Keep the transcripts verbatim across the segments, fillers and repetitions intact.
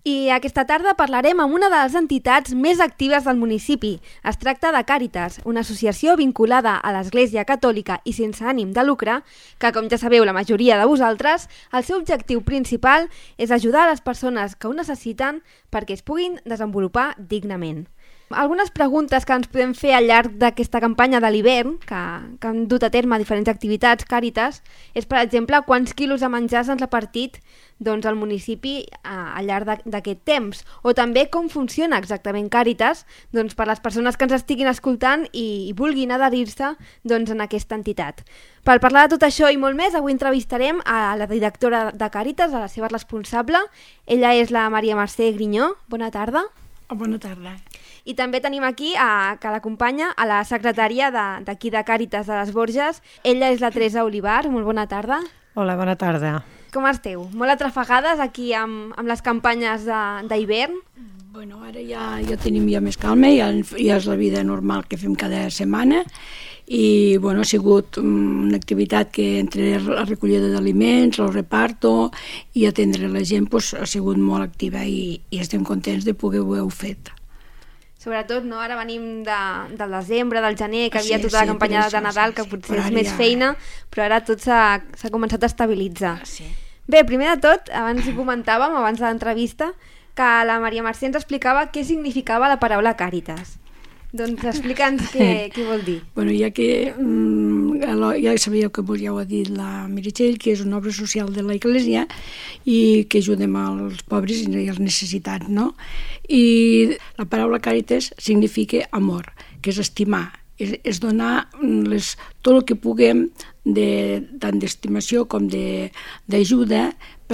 I aquesta tarda parlarem amb una de les entitats més actives del municipi. Es tracta de Càritas, una associació vinculada a l'Església Catòlica i sense ànim de lucre, que, com ja sabeu la majoria de vosaltres, el seu objectiu principal és ajudar a les persones que ho necessiten perquè es puguin desenvolupar dignament. Algunes preguntes que ens podem fer al llarg d'aquesta campanya de l'hivern, que, que han dut a terme diferents activitats Càritas, és, per exemple, quants quilos de menjar s'han repartit doncs, al municipi a, al llarg d'aquest temps, o també com funciona exactament Càritas doncs, per les persones que ens estiguin escoltant i, i vulguin adherir-se doncs, en aquesta entitat. Per parlar de tot això i molt més, avui entrevistarem a la directora de Càritas, a la seva responsable. Ella és la Maria Mercè Grinyó. Bona tarda. Oh, bona tarda. I també tenim aquí, a, que l'acompanya, a la secretària d'aquí de, de Càritas de les Borges. Ella és la Teresa Olivar. Molt bona tarda. Hola, bona tarda. Com esteu? Molt atrafegades aquí amb, amb les campanyes d'hivern? Bueno, ara ja, ja tenim ja més calma, ja, ja és la vida normal que fem cada setmana i bueno, ha sigut una activitat que entre la recollida d'aliments, el reparto i atendre la gent pues, ha sigut molt activa i, i estem contents de poder-ho fet. Sobretot, no? Ara venim de, del desembre, del gener, que sí, havia tota sí, la campanya això, de Nadal, sí, que sí, potser és ara més ja... feina, però ara tot s'ha començat a estabilitzar. Sí. Bé, primer de tot, abans hi comentàvem, abans de l'entrevista, que la Maria Mercè ens explicava què significava la paraula Càritas. Doncs explica'ns què, què vol dir. Bueno, ja que mm, ja sabíeu que ja ho ha dit la Meritxell, que és una obra social de l'Església i que ajudem als pobres i als necessitats, no? I la paraula Càritas significa amor, que és estimar, és, és donar les, tot el que puguem de, tant d'estimació com d'ajuda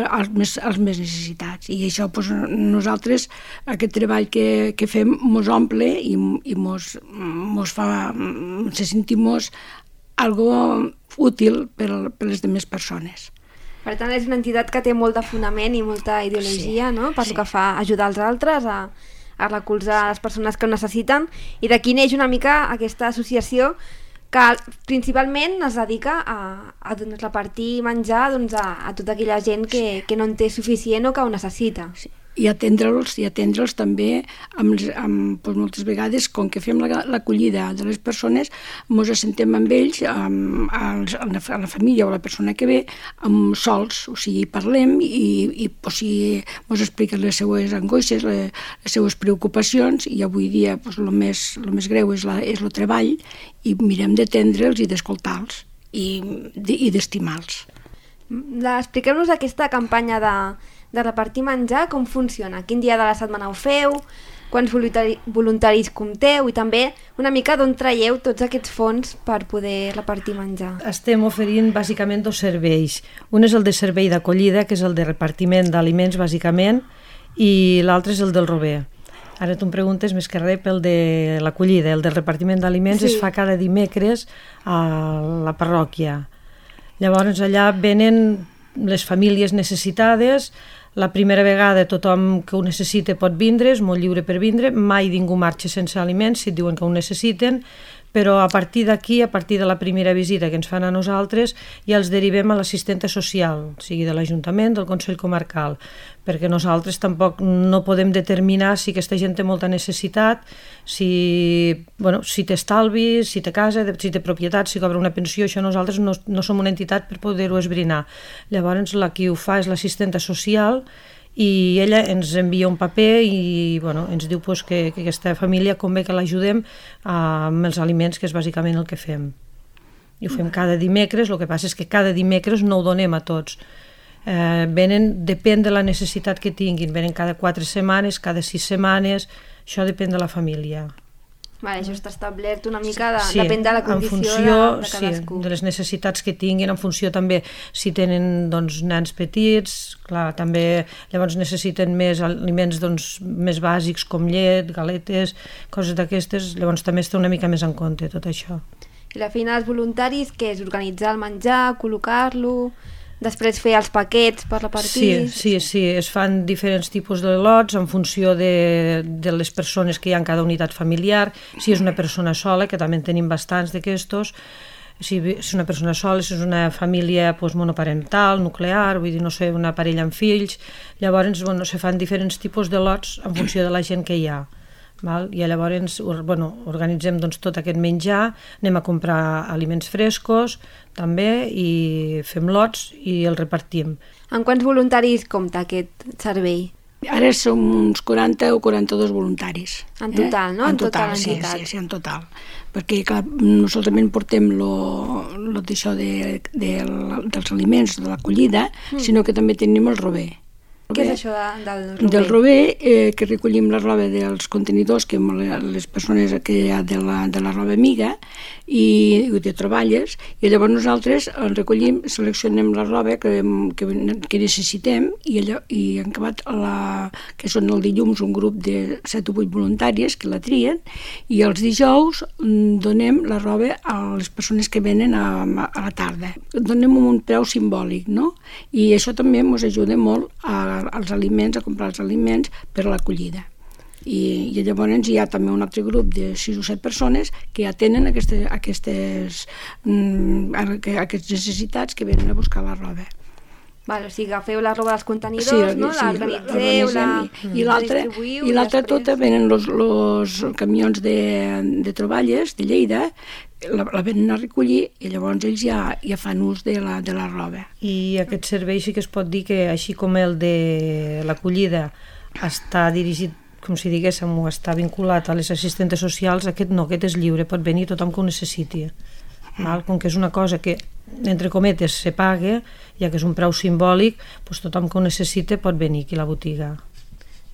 als més, als més necessitats. I això, doncs, nosaltres, aquest treball que, que fem, mos omple i, i mos, mos fa, se sentim algo útil per, per les demés persones. Per tant, és una entitat que té molt de fonament i molta ideologia, sí, no? Per sí. Que fa ajudar els altres a, a recolzar les persones que ho necessiten. I d'aquí neix una mica aquesta associació que principalment es dedica a, a doncs, repartir menjar doncs, a, a tota aquella gent que, que no en té suficient o que ho necessita. Sí. I atendre'ls i atendre'ls també amb, amb, doncs, moltes vegades, com que fem l'acollida de les persones, ens assentem amb ells, amb, amb, amb la família o la persona que ve, amb sols, o sigui, parlem i, i o sigui, ens expliquen les seues angoixes, les, les seues preocupacions, i avui dia doncs, el, més, el més greu és, la, és el treball, i mirem d'atendre'ls i d'escoltar-los i, i d'estimar-los. Expliqueu-nos aquesta campanya de de repartir menjar, com funciona? Quin dia de la setmana ho feu? Quants voluntari voluntaris compteu? I també una mica d'on traieu tots aquests fons per poder repartir menjar? Estem oferint bàsicament dos serveis. Un és el de servei d'acollida, que és el de repartiment d'aliments, bàsicament, i l'altre és el del rober. Ara tu em preguntes més que res pel de l'acollida. El del repartiment d'aliments sí. Es fa cada dimecres a la parròquia. Llavors allà venen les famílies necessitades. La primera vegada tothom que ho necessita pot vindre, és molt lliure per vindre, mai ningú marxa sense aliments si et diuen que ho necessiten, però a partir d'aquí, a partir de la primera visita que ens fan a nosaltres, ja els derivem a l'assistenta social, o sigui de l'Ajuntament, del Consell Comarcal, perquè nosaltres tampoc no podem determinar si aquesta gent té molta necessitat, si, bueno, si té estalvi, si té casa, si té propietat, si cobra una pensió, això nosaltres no, no som una entitat per poder-ho esbrinar. Llavors la qui ho fa és l'assistenta social i ella ens envia un paper i bueno, ens diu pues, que, que aquesta família convé que l'ajudem amb els aliments, que és bàsicament el que fem. I ho fem cada dimecres, el que passa és que cada dimecres no ho donem a tots. Eh, venen, depèn de la necessitat que tinguin, venen cada quatre setmanes, cada sis setmanes, això depèn de la família. Vale, això està establert una mica, de, sí, depèn de la condició funció, de, de cadascú. Sí, de les necessitats que tinguin, en funció també si tenen doncs, nens petits, clar, també llavors necessiten més aliments doncs, més bàsics com llet, galetes, coses d'aquestes, llavors també es té una mica més en compte tot això. I la feina dels voluntaris, que és organitzar el menjar, col·locar-lo, després fer els paquets per repartir... Sí, sí, sí, es fan diferents tipus de lots en funció de, de les persones que hi ha en cada unitat familiar. Si és una persona sola, que també en tenim bastants d'aquestos, si és una persona sola, si és una família pues, monoparental, nuclear, vull dir, no sé, una parella amb fills, llavors bueno, se fan diferents tipus de lots en funció de la gent que hi ha. Val? I llavors bueno, organitzem doncs, tot aquest menjar, anem a comprar aliments frescos també i fem lots i el repartim. En quants voluntaris compta aquest servei? Ara som uns quaranta o quaranta-dos voluntaris. En total, eh? no? En, en total, total sí, entitat. sí, sí, en total. Perquè, clar, nosaltres portem lo, lo d'això de, de, dels aliments, de l'acollida, mm. sinó que també tenim el rober. Què és això de, del rober? Del rober, eh, que recollim la roba dels contenidors, que les persones que hi ha de la, de la roba amiga i de troballes, i llavors nosaltres en recollim, seleccionem la roba que, que, que necessitem i, allò, i en acabat, la, que són el dilluns un grup de set o vuit voluntàries que la trien, i els dijous donem la roba a les persones que venen a, a la tarda. Donem un preu simbòlic, no? I això també ens ajuda molt a als aliments, a comprar els aliments per a l'acollida. I, i llavors hi ha també un altre grup de sis o set persones que atenen aquestes, aquestes, mm, aquestes necessitats que venen a buscar la roba. Val, o sigui, agafeu la roba dels contenidors, sí, no? Sí, l'organitzeu, la, la, i l'altra i l'altra tota venen els camions de, de troballes de Lleida, la, la venen a recollir i llavors ells ja, ja fan ús de la, de la roba. I aquest servei sí que es pot dir que així com el de l'acollida està dirigit, com si diguéssim, o està vinculat a les assistentes socials, aquest no, aquest és lliure, pot venir tothom que ho necessiti. Val? Com que és una cosa que, entre cometes, se paga, ja que és un preu simbòlic, doncs tothom que ho necessita pot venir aquí a la botiga.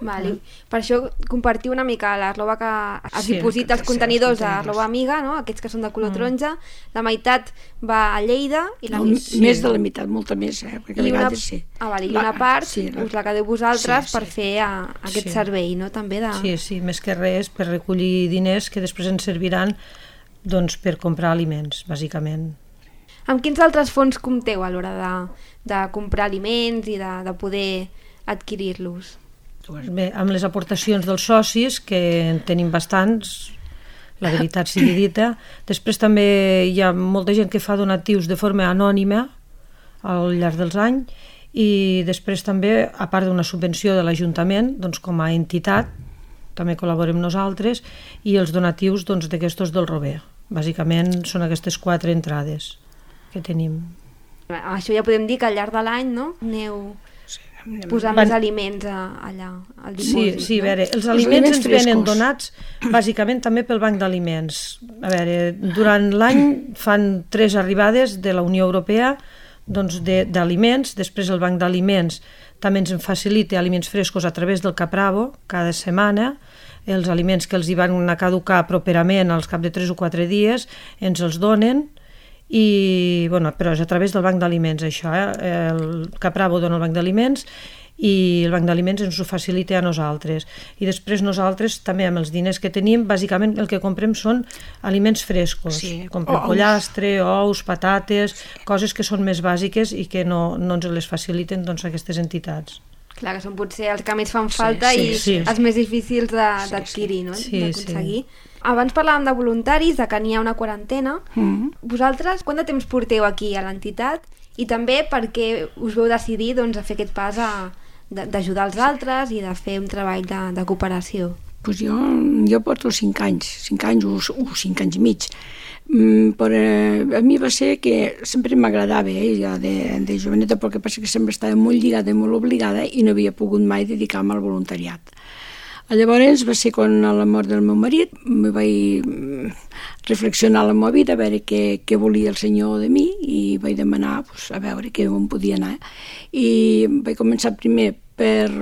Vale. Mm. Per això compartiu una mica la roba que es sí, diposita als contenidors, sí, a roba amiga, no? Aquests que són de color mm. taronja, la meitat va a Lleida i la... No, sí. Més de la meitat, molta més, eh? Perquè I a una... vegades sí. Ah, vale. I una part sí, la... us la quedeu vosaltres sí, sí. per fer a, aquest sí. servei, no? També de... Sí, sí, més que res per recollir diners que després ens serviran doncs, per comprar aliments, bàsicament. Amb quins altres fons compteu a l'hora de, de comprar aliments i de, de poder adquirir-los? Bé, amb les aportacions dels socis, que en tenim bastants, la veritat sigui dita. Després també hi ha molta gent que fa donatius de forma anònima al llarg dels anys i després també, a part d'una subvenció de l'Ajuntament, doncs, com a entitat, també col·laborem nosaltres, i els donatius doncs, d'aquestos del Rober. Bàsicament són aquestes quatre entrades que tenim. Això ja podem dir que al llarg de l'any, no?, aneu posar Van... més aliments a, allà, al dipòsit. Sí, sí, no? a veure, els aliments, els aliments ens venen donats bàsicament també pel Banc d'Aliments. A veure, durant l'any fan tres arribades de la Unió Europea doncs, d'aliments, després el Banc d'Aliments també ens facilita aliments frescos a través del Capravo cada setmana, els aliments que els hi van a caducar properament als cap de tres o quatre dies ens els donen, i, bueno, però és a través del Banc d'Aliments això, eh? El Capravo dona el Banc d'Aliments i el Banc d'Aliments ens ho facilita a nosaltres. I després nosaltres també amb els diners que tenim, bàsicament el que comprem són aliments frescos. Sí. Comprem ous. Pollastre, ous, patates, coses que són més bàsiques i que no, no ens les faciliten doncs, aquestes entitats. Clar, que són potser els que més fan falta sí, sí, i sí. els més difícils d'adquirir, no? Sí, d'aconseguir. Sí. Abans parlàvem de voluntaris, de que n'hi ha una quarantena. Mm. Vosaltres, quant de temps porteu aquí a l'entitat? I també per què us veu decidir doncs, a fer aquest pas d'ajudar els altres i de fer un treball de, de cooperació? Pues jo, jo porto cinc anys, cinc anys o, o cinc anys i mig. Mm, però a mi va ser que sempre m'agradava, eh, ja de, de joveneta, però que passa que sempre estava molt lligada i molt obligada i no havia pogut mai dedicar-me al voluntariat. Llavors va ser quan a la mort del meu marit me vaig reflexionar la meva vida, a veure què, què volia el Senyor de mi i vaig demanar pues, a veure què on podia anar. I vaig començar primer per,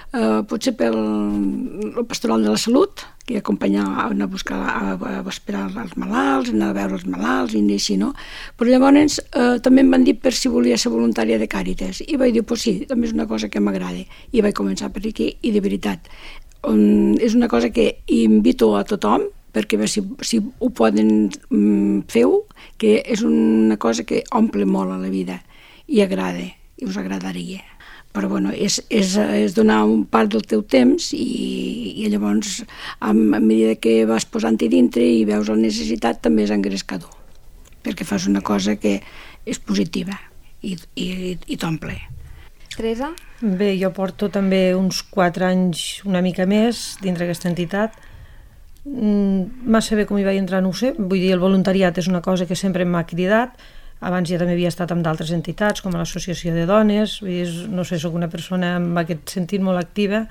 eh, potser pel el pastoral de la salut, que acompanyava a anar a buscar, a, a esperar els malalts, anar a veure els malalts i així, no? Però llavors eh, també em van dir per si volia ser voluntària de Càritas i vaig dir, pues sí, també és una cosa que m'agrada i vaig començar per aquí i de veritat um, és una cosa que invito a tothom perquè si, si ho poden um, feu, que és una cosa que omple molt a la vida i agrada, i us agradaria. Però bueno, és, és, és donar un part del teu temps i, i llavors a, a mesura que vas posant-hi dintre i veus la necessitat també és engrescador. perquè fas una cosa que és positiva i, i, i t'omple. Teresa? Bé, jo porto també uns quatre anys, una mica més, dintre aquesta entitat. Mm, massa bé com hi vaig entrar, no ho sé. Vull dir, el voluntariat és una cosa que sempre m'ha cridat. Abans ja també havia estat amb d'altres entitats, com l'Associació de Dones. Vull dir, no sé, soc una persona amb aquest sentit molt activa.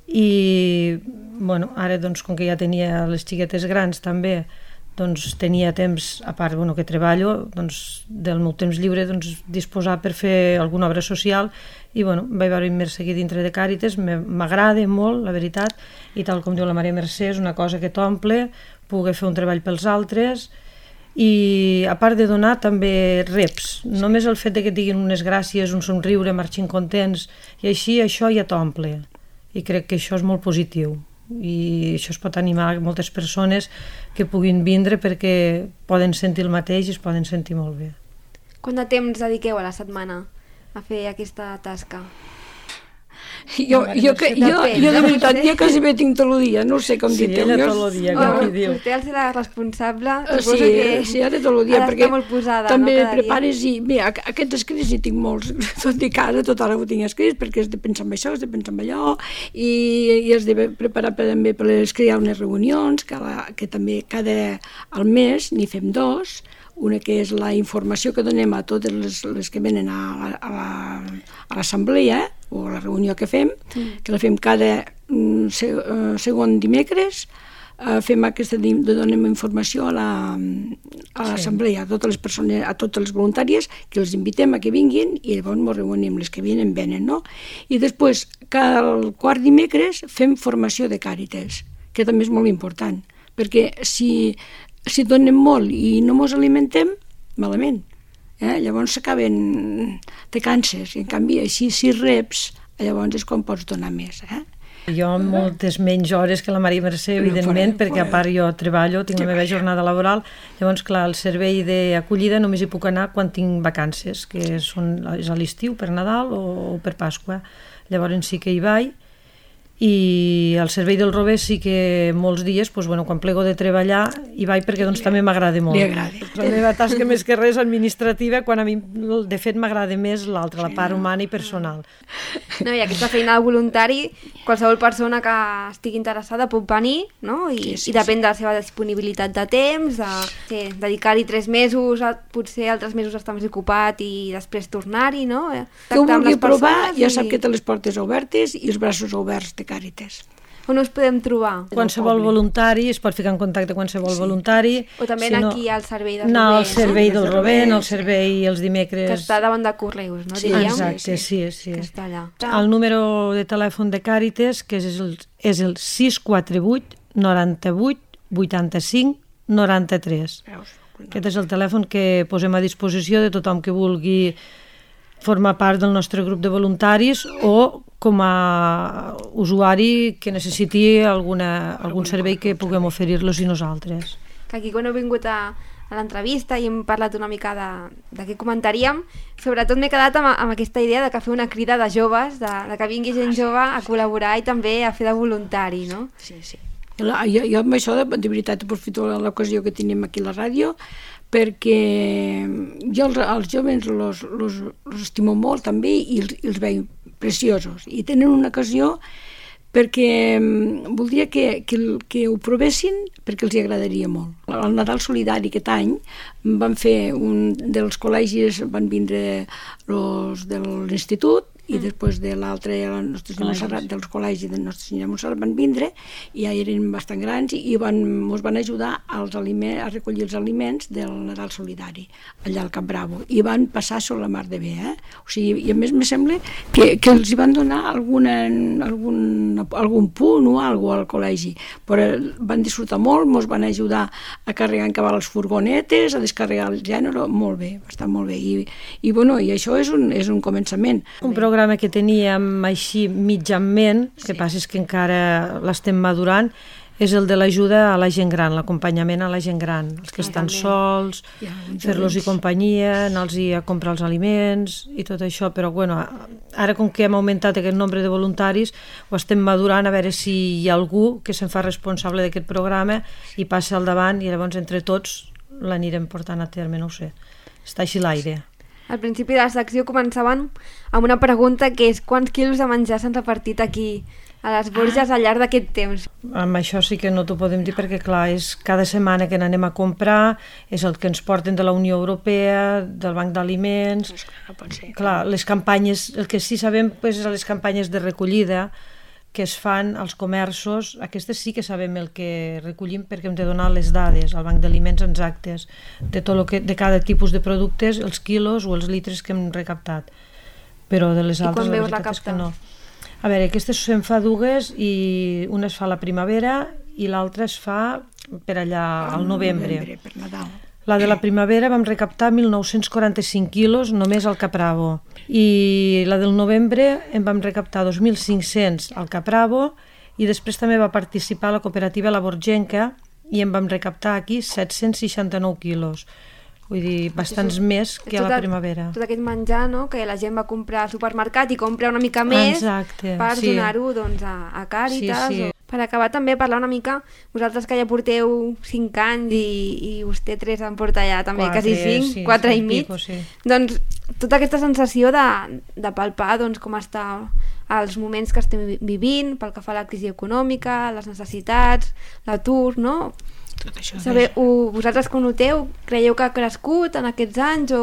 I, bueno, ara, doncs, com que ja tenia les xiquetes grans també, doncs tenia temps, a part bueno, que treballo, doncs, del meu temps lliure doncs, disposar per fer alguna obra social i bueno, vaig veure-me seguir dintre de Càritas, m'agrada molt, la veritat, i tal com diu la Maria Mercè, és una cosa que t'omple, poder fer un treball pels altres i a part de donar també reps, només el fet de que et diguin unes gràcies, un somriure, marxin contents i així, això ja t'omple i crec que això és molt positiu. I això es pot animar moltes persones que puguin vindre perquè poden sentir el mateix i es poden sentir molt bé. Quant de temps dediqueu a la setmana a fer aquesta tasca? Jo, jo, jo, jo, jo de veritat, jo quasi bé tinc tot el dia, no sé com sí, dir-te. Sí, ella tot el dia, com qui diu. Vostè al ser la responsable, suposo sí, que sí, ara tot el dia, perquè molt posada, també no, prepares i... Bé, aquests escrits hi tinc molts, tot i que ara tot ara ho tinc escrits, perquè has de pensar en això, has de pensar en allò, i, i has de preparar també per les crear unes reunions, que, la, que també cada al mes n'hi fem dos, una que és la informació que donem a totes les, les que venen a, a, la, a l'assemblea o a la reunió que fem, mm. que la fem cada um, se, uh, segon dimecres, uh, fem aquesta, donem informació a la, a l'assemblea, a totes les persones, a totes les voluntàries, que els invitem a que vinguin i llavors ens reunim, les que venen, venen, no? I després, cada quart dimecres fem formació de Càritas, que també és molt important, perquè si si donem molt i no ens alimentem, malament. Eh? Llavors s'acaben, te canses, i en canvi així si reps, llavors és quan pots donar més. Eh? Jo amb moltes menys hores que la Maria Mercè, evidentment, no, perquè a part jo treballo, tinc la meva jornada laboral, llavors clar, el servei d'acollida només hi puc anar quan tinc vacances, que són, és a l'estiu, per Nadal o, o per Pasqua. Llavors sí que hi vaig. I al servei del Rober sí que molts dies, doncs, bueno, quan plego de treballar, hi vaig perquè doncs, també m'agrada molt. Li agrada. La meva tasca més que res administrativa, quan a mi de fet m'agrada més l'altra, la part humana i personal. No, i aquesta feina de voluntari, qualsevol persona que estigui interessada pot venir, no? I, sí, sí, i depèn de la seva disponibilitat de temps, de sí, dedicar-hi tres mesos, potser altres mesos estar més ocupat i després tornar-hi, no? Que ho vulgui provar, ja sap que té les portes obertes i els braços oberts de Càritas. On us podem trobar? Qualsevol voluntari, es pot ficar en contacte amb qualsevol sí. voluntari. O també si no, aquí al servei del no, Rober. Al servei no? del Rober, no, al servei els dimecres... Que està davant de Correus, no? Sí, diríem? exacte, sí, sí. Que està allà. El número de telèfon de Càritas, que és el, és el sis quatre vuit noranta-vuit vuitanta-cinc noranta-tres. Aquest és el telèfon que posem a disposició de tothom que vulgui formar part del nostre grup de voluntaris o com a usuari que necessiti alguna, algun servei que puguem oferir-los i nosaltres. Que aquí quan heu vingut a, a l'entrevista i hem parlat una mica de, de què comentaríem, sobretot m'he quedat amb, amb aquesta idea de que fer una crida de joves, de, de que vingui gent jove a col·laborar i també a fer de voluntari, no? Sí, sí. Jo, jo amb això, de, de veritat, aprofito l'ocasió que tenim aquí a la ràdio, perquè jo els, els joves los, los, los estimo molt també i els, i els veig preciosos i tenen una ocasió perquè voldria que, que, que ho provessin perquè els hi agradaria molt. Al Nadal Solidari aquest any van fer un dels col·legis, van vindre els de l'institut i després de l'altre, la Nostra Senyora Montserrat, dels col·legis de Nostra Senyora Montserrat van vindre i ja eren bastant grans i van, ens van ajudar als aliments, a recollir els aliments del Nadal Solidari allà al Cap Bravo i van passar sobre la mar de bé, eh? O sigui, i a més me sembla que, que els hi van donar alguna, algun, algun punt o alguna al col·legi, però van disfrutar molt, ens van ajudar a carregar en cabal les furgonetes, a descarregar el gènere, molt bé, bastant molt bé i, i, bueno, i això és un, és un començament. Un programa que teníem així mitjanment, el que passa és que encara l'estem madurant, és el de l'ajuda a la gent gran, l'acompanyament a la gent gran, els que estan sols, fer-los-hi companyia, anar-los a comprar els aliments i tot això, però bueno, ara com que hem augmentat aquest nombre de voluntaris, ho estem madurant a veure si hi ha algú que se'n fa responsable d'aquest programa i passa al davant i llavors entre tots l'anirem portant a terme, no ho sé. Està així l'aire. Al principi de la secció començaven amb una pregunta que és quants quilos de menjar s'han repartit aquí a les Borges al llarg d'aquest temps? Amb això sí que no t'ho podem dir perquè, clar, és cada setmana que n'anem a comprar, és el que ens porten de la Unió Europea, del Banc d'Aliments... No pot ser. Clar, les campanyes, el que sí sabem és les campanyes de recollida que es fan als comerços, aquestes sí que sabem el que recollim perquè hem de donar les dades al Banc d'Aliments exactes de, tot lo que, de cada tipus de productes, els quilos o els litres que hem recaptat. Però de les altres la veritat és que no. A veure, aquestes se'n fa dues i una es fa a la primavera i l'altra es fa per allà al novembre. novembre per Nadal. La de la primavera vam recaptar mil nou-cents quaranta-cinc quilos només al Capravo i la del novembre en vam recaptar dos mil cinc-cents al Capravo i després també va participar la cooperativa La Borgenca i en vam recaptar aquí set-cents seixanta-nou quilos. Vull dir, bastants és, més que a la primavera. Tot aquest menjar, no?, que la gent va comprar al supermercat i compra una mica més Exacte, per sí. donar-ho doncs, a, a Càritas. Sí, sí. O... Per acabar també parlar una mica, vosaltres que ja porteu cinc anys i, i vostè tres en porta ja també quatre, quasi cinc, sí, quatre sí, i mig, pico, sí. Doncs tota aquesta sensació de, de palpar doncs, com està els moments que estem vivint, pel que fa a la crisi econòmica, les necessitats, l'atur, no? Tot això. Saber, ho, vosaltres que ho noteu, creieu que ha crescut en aquests anys o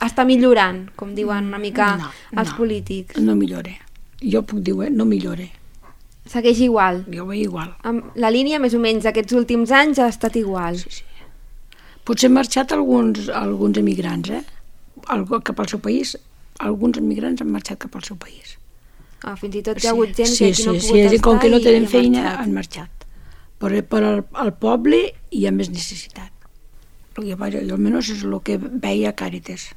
està millorant, com diuen una mica no, els no, polítics? No millore. Jo puc dir, eh? No millore. Segueix igual? Jo ho veig igual. Amb la línia, més o menys, aquests últims anys ha estat igual? Sí, sí. Potser han marxat alguns, alguns emigrants, eh? Algo, cap al seu país. Alguns emigrants han marxat cap al seu país. Ah, fins i tot hi ha hagut gent sí, que aquí sí, no ha sí, pogut sí, estar com que no tenen i feina, marxat. han marxat. Però per al, al poble hi ha més necessitat. Jo, almenys és el que veia a Càritas.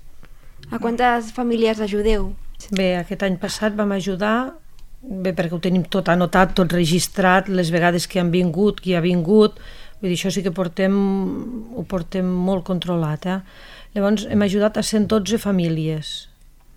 A quantes famílies ajudeu? Bé, aquest any passat vam ajudar, bé, perquè ho tenim tot anotat, tot registrat, les vegades que han vingut, qui ha vingut, vull dir, això sí que portem, ho portem molt controlat, eh? Llavors hem ajudat a cent dotze famílies.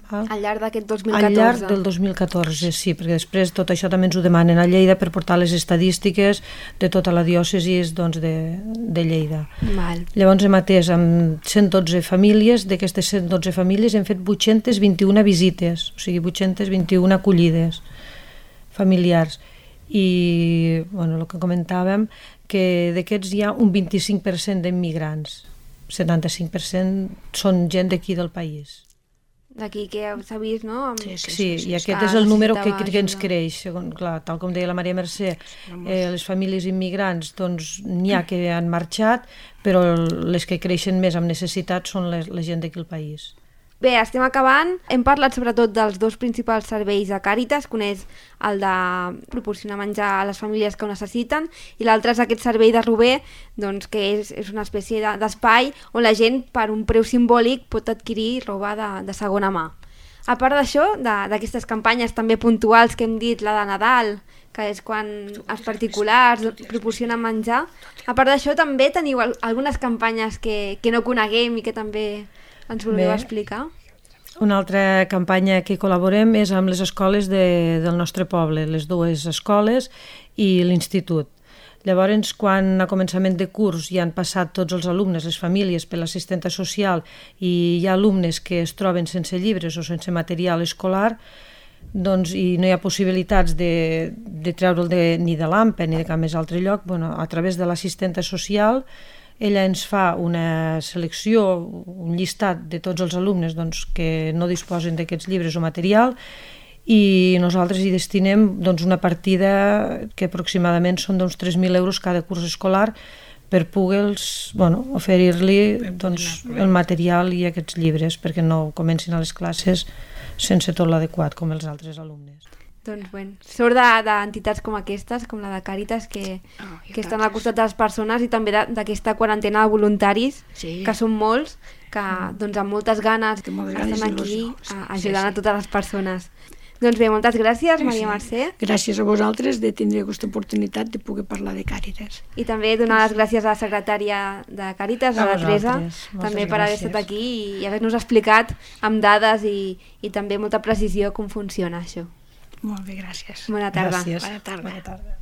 Val? Al llarg d'aquest dos mil Al catorze? llarg del dos mil catorze, sí, perquè després tot això també ens ho demanen a Lleida per portar les estadístiques de tota la diòcesi doncs, de, de Lleida. Val. Llavors hem atès amb cent dotze famílies, d'aquestes cent dotze famílies hem fet vuit-cents vint-i-una visites, o sigui, vuit-cents vint-i-una acollides familiars. I, bueno, el que comentàvem, que d'aquests hi ha un vint-i-cinc per cent d'immigrants, setanta-cinc per cent són gent d'aquí del país. D'aquí que s'ha vist, no? Amb... Sí, sí, Sí, sí, sí, i sí. aquest Ah, és el número que, necessitava que ens ajuda. creix, segon, clar, tal com deia la Maria Mercè, eh, les famílies immigrants, doncs n'hi ha que han marxat, però les que creixen més amb necessitat són les, la gent d'aquí al país. Bé, estem acabant. Hem parlat sobretot dels dos principals serveis de Càritas, que un és el de proporcionar menjar a les famílies que ho necessiten i l'altre és aquest servei de Rober, doncs, que és, és una espècie de, d'espai on la gent per un preu simbòlic pot adquirir roba de, de segona mà. A part d'això, d'aquestes campanyes també puntuals que hem dit, la de Nadal, que és quan els particulars proporcionen menjar, a part d'això també teniu algunes campanyes que, que no coneguem i que també ens voleu Bé. explicar? Una altra campanya que col·laborem és amb les escoles de, del nostre poble, les dues escoles i l'institut. Llavors, quan a començament de curs ja han passat tots els alumnes, les famílies, per l'assistenta social i hi ha alumnes que es troben sense llibres o sense material escolar, doncs, i no hi ha possibilitats de, de treure'l de, ni de l'A M P E ni de cap més altre lloc, bueno, a través de l'assistenta social ella ens fa una selecció, un llistat de tots els alumnes doncs, que no disposen d'aquests llibres o material i nosaltres hi destinem doncs, una partida que aproximadament són d'uns tres mil euros cada curs escolar per poder bueno, oferir-li doncs, el material i aquests llibres perquè no comencin a les classes sense tot l'adequat com els altres alumnes. Doncs, bueno, sort d'entitats com aquestes, com la de Càritas, que, Oh, que estan al costat de les persones i també d'aquesta quarantena de voluntaris, Sí. que són molts, que doncs, amb moltes ganes Que moltes ganes estan i aquí il·lusió, sí, a- sí, ajudant sí. a totes les persones. Doncs bé, moltes gràcies, Maria Sí. Mercè, Gràcies a vosaltres de tindre aquesta oportunitat de poder parlar de Càritas. i també donar les gràcies a la secretària de Càritas, a A la Teresa, vosaltres, moltes també per haver gràcies. estat aquí i haver-nos explicat amb dades i, i també molta precisió com funciona això. Molt bé, gràcies. Bona tarda. Gràcies. Bona tarda. Bona tarda.